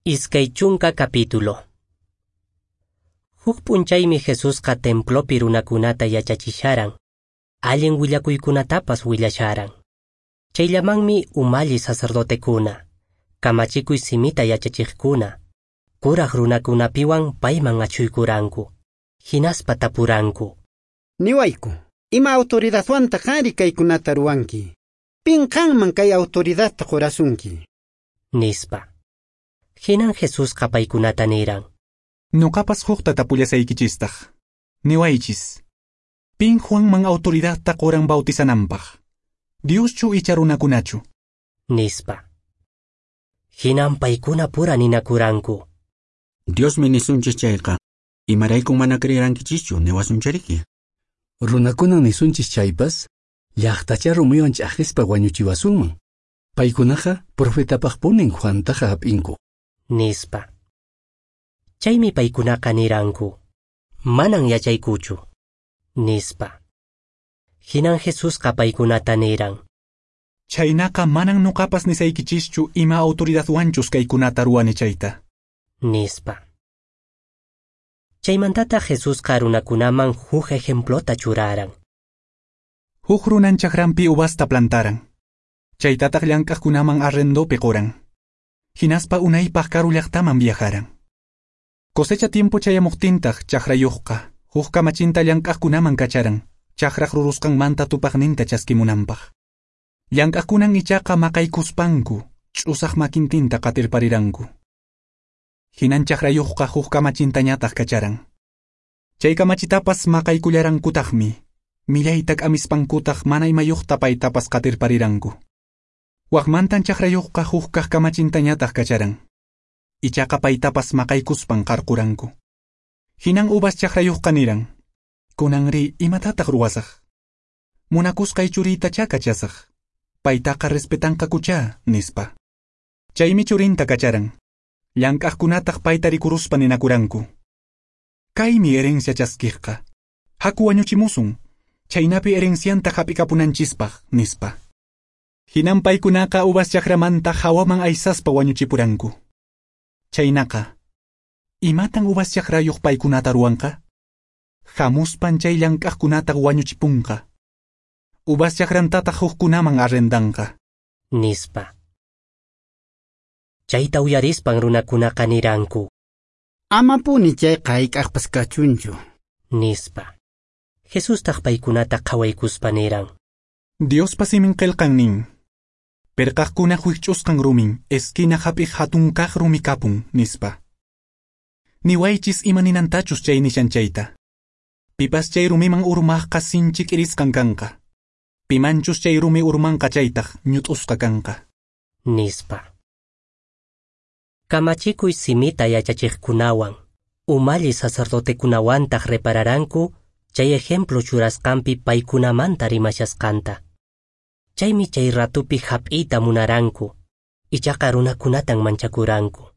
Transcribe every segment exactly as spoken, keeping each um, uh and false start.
Iskay chunka capítulo. Huk p'unchaymi Jesusqa templopi runakunata yachachisharan, allin willakuykunatapas willasharan. Chayllamanmi umalli sacerdotekuna, kamachikuy simita yachachiqkuna, kuraq runakunapiwan payman achhuykuranku, hinaspa tapuranku. Niwayku, ima autoridadwantaq qanri kaykunata ruwanki? Pin qanman kay autoridadta qurasunki? Nispa. Hinan Jesusqa paykunata niran. Nuqapas hukta tapullasaykichistaq. Niwaychis. Pin Juanman autoridadta quran bautizananpaq? Dioschu icha runakunachu? Nispa. Hinan paykuna pura ninakuranku. Diosmi nisunchis chayqa, imaraykun mana creerankichischu niwasunchariki? Runakunan nisunchis chaypas, llaqtacha rumiwan ch'aqispa wañuchiwasunman. Paykunaqa profetapaqpunin Juantaqa hap'inku. Nispa. Chaymi paykunaqa niranku. Manan yachaykuchu. Nispa. Hinan Jesusqa paykunata niran. Chaynaqa manan nuqapas nisaykichischu ima autoridadwanchus kaykunata ruwani chayta. Nispa. Chaymantata Jesusqa runakunaman huk ejemplota churaran. Huk runan chakranpi uvasta plantaran. Chaytataq llank'aqkunaman arrendopi quran. Hinaspa unaypaq karu llaqtaman viajaran. Cosecha tiempo chayamuqtintaq chakrayuqqa huk kamachinta llank'aqkunaman kacharan, chakraq rurusqanmanta tupaqninta chaskimunanpaq. Llank'aqkunan ichaqa maqaykuspanku, ch'usaq makintinta qatirpariranku. Hinan chakrayuqqa huk kamachintañataq kacharan. Chay kamachitapas maqaykullarankutaqmi, millayta k'amispankutaq mana imayuqta paytapas qatirpariranku. Waqmantan chakrayuqqa huk kaq kamachintañataq kacharan. Ichaqa paytapas maqaykuspan qarquranku. Hinan uvas chakrayuqqa niran. Kunanri imatataq ruwasaq? Munakusqay churiytachá kachasaq. Paytaqa respetanqakuchá, nispa. Chaymi churinta kacharan. Llank'aqkunataq payta rikuruspa ninakuranku. Kaymi herencia chaskiqqa. Haku wañuchimusun. Chaynapi herencianta hap'ikapunanchispaq, nispa. Hinan paykunaqa uvas chakramanta hawaman aysaspa wañuchipuranku. Chaynaqa, imatan uvas chakrayuq paykunata ruwanqa? Hamuspan chay llank'aqkunata wañuchipunqa. Uvas chakrantataq hukkunaman arrendanqa. Nispa. Chayta uyarispan runakunaqa niranku. Amapuni chayqa hayk'aqpas kachunchu. Nispa. Jesustaq paykunata qhawaykuspa niran. Diospa simin qillqan nin. Pirqaqkuna huich'usqan rumin, esquina hap'iq hatun kaq rumi kapun, nispa. Niwaychis ima ninantachus chay nishan chayta. Pipas chay rumiman urmaqqa sinchi k'irisqan kanqa. Pimanchus chay rumi urmanqa chaytaq ñut'usqa kanqa. Nispa. Kamachikuy simita yachachiqkunawan, umalli sacerdotekunawantaq repararanku chay ejemplo churasqanpi paykunamanta rimashasqanta. Chaymi chay ratupi hap'iyta munaranku, ichaqa runakunatan manchakuranku.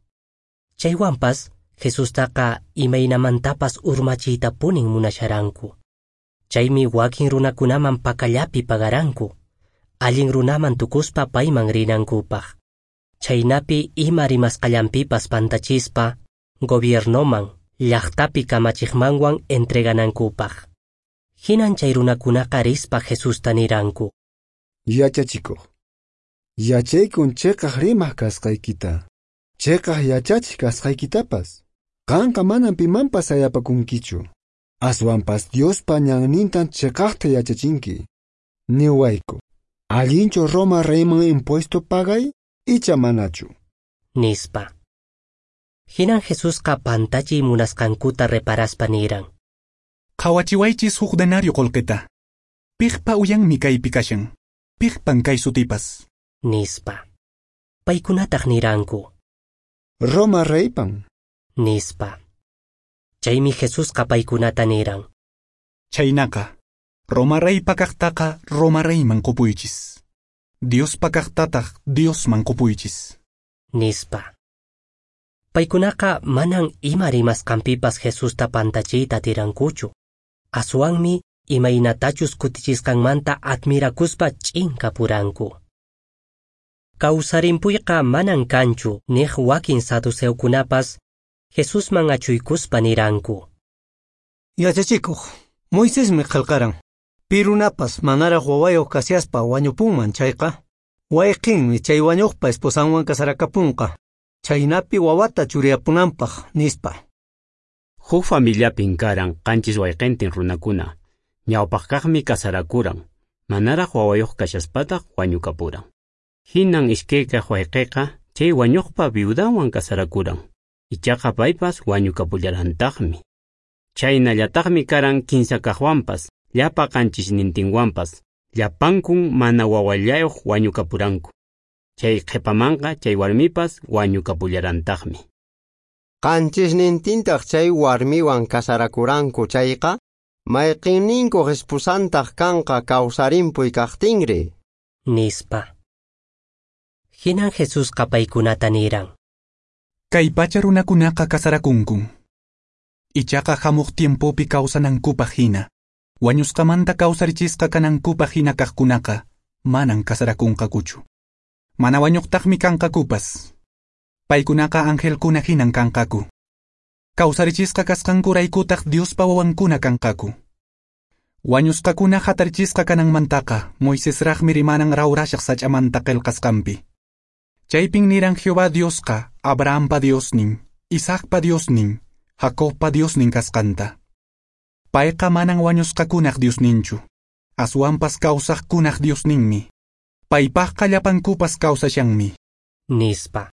Chaywanpas Jesustaqa imaynamantapas urmachiytapunin munasharanku. Chaymi wakin runakunaman pakallapi pagaranku, allin runaman tukuspa payman rinankupaq. Chaynapi ima rimasqallanpipas pantachispa, gobiernoman, llaqtapi kamachiqmanwan entreganankupaq. Hinan chay runakunaqa rispa Jesusta niranku. Yachachikuq, yachaykun chiqaq rimaq kasqaykita, chiqaq yachachiq kasqaykitapas. Qanqa manan pimanpas sayapakunkichu. Aswanpas Diospa ñannintan chiqaqta yachachinki. Niwayku, allinchu Roma reyman impuesto pagay icha manachu? Nispa. Hinan Jesusqa pantachiy munasqankuta reparaspa niran. Qhawachiwaychis huk denario qullqita. Piqpa uyanmi kaypi kashan. Piqpan kay sutipas. Nispa. Paykunataq niranku. Roma reypan. Nispa. Chaymi Jesusqa paykunata niran. Chaynaqa, Roma reypa kaqtaqa Roma reyman qupuychis. Diospa kaqtataq Diosman qupuychis. Nispa. Paykunaqa manan ima rimasqanpipas Jesusta pantachiyta atirankuchu. Aswanmi imaynatachus kutichisqanmanta admirakuspa ch'inkapuranku. Kawsarimpuyqa manan kanchu niq wakin saduceokunapas Jesusman achuykuspa niranku. Yachachikuq, Moisesmi qillqaran, pi runapas manaraq wawayuq kashaspa wañupunman chayqa, wayqinmi chay wañuqpa esposanwan kasarakapunqa, chaynapi wawata churiyapunanpaq, nispa. Huk familiapin karan qanchis wayqintin runakuna, ñawpaqkaqmi kasarakuran, manaraq wawayuq kashaspataq wañukapuran. Hinan iskaykaq wayqiqa chay wañuqpa viudanwan kasarakuran, ichaqa paypas wañukapullarantaqmi. Chaynallataqmi karan kinsa kaqwanpas, llapa qanchisnintinwanpas, llapankun mana wawallayuq wañukapuranku. Chay qhipamanqa chay warmipas wañukapullarantaqmi. Qanchisnintintaq chay warmiwan kasarakuranku chayqa, mayqinninkuq esposantaq kanqa kawsarimpuy kaqtinri? Nispa. Hinan Jesusqa paykunata niran. Kay pacha runakunaqa kasarakunkun. Ichaqa hamuq tiempopi kawsanankupaq hina, wañusqamanta kawsarichisqa kanankupaq hina kaqkunaqa manan kasarakunqakuchu. Mana wañuqtaqmi kanqakupas. Paykunaqa angelkuna hinan kanqaku. Kawsarichisqa kasqankuraykutaq Diospa wawankuna kanqaku. Wañusqakuna hatarichisqa kananmantaqa Moisesraqmi rimaran rawrashaq sach'amanta qillqasqanpi. Chaypin niran Jehová Diosqa Abrahampa Diosnin, Isaacpa Diosnin, Jacobpa Diosnin kasqanta. Payqa manan wañusqakunaq Diosninchu, aswanpas kawsaqkunaq Diosninmi. Paypaqqa llapankupas kawsashanmi. Nispa.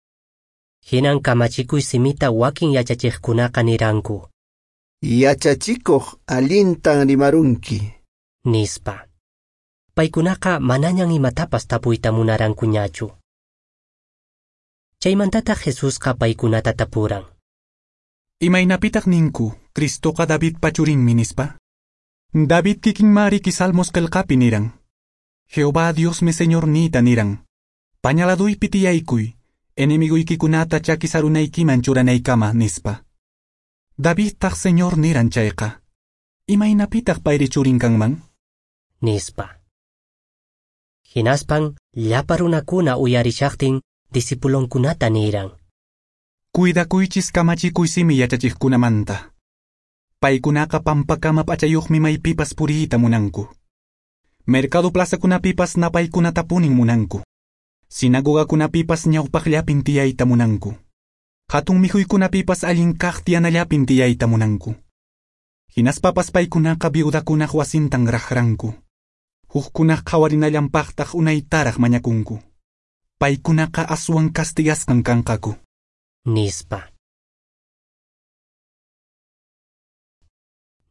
Hinan kamachikuy simita wakin yachachiqkunaqa niranku. Yachachikuq allintan rimarunki. Nispa. Paykunaqa manañan imatapas tapuyta munarankuñachu. Chaymantataq Jesusqa paykunata tapuran. Imaynapitaq ninku, Cristoqa Davidpa churinmi nispa? David kikinmariki Salmos qillqapi niran. Jehová Diosmi Señorniyta niran. Pañaladuypi tiyaykuy, enemiguykikunata chaki sarunaykiman churanaykama nispa. Davidtaq Señor niran chayqa. Imaynapitaq payri churin kanman? Nispa. Hinaspan llapa runakuna uyarishaqtin discipulonkunata niran. Cuidakuychis kamachikuy simi yachachiqkunamanta. Paykunaqa pampakama p'achayuqmi maypipas puriyta munanku. Mercado plazakunapipas napaykunatapunin munanku. Sinagogakunapipas ñawpaqllapin tiyayta munanku. Hatun mikhuykunapipas allin kaq tiyanallapin tiyayta munanku. Hinaspapas paykunaqa viudakunaq wasintan raqranku. Hukkunaq qhawarinallanpaqtaq unaytaraq mañakunku. Paykunaqa aswan castigasqan kanqaku. Nispa.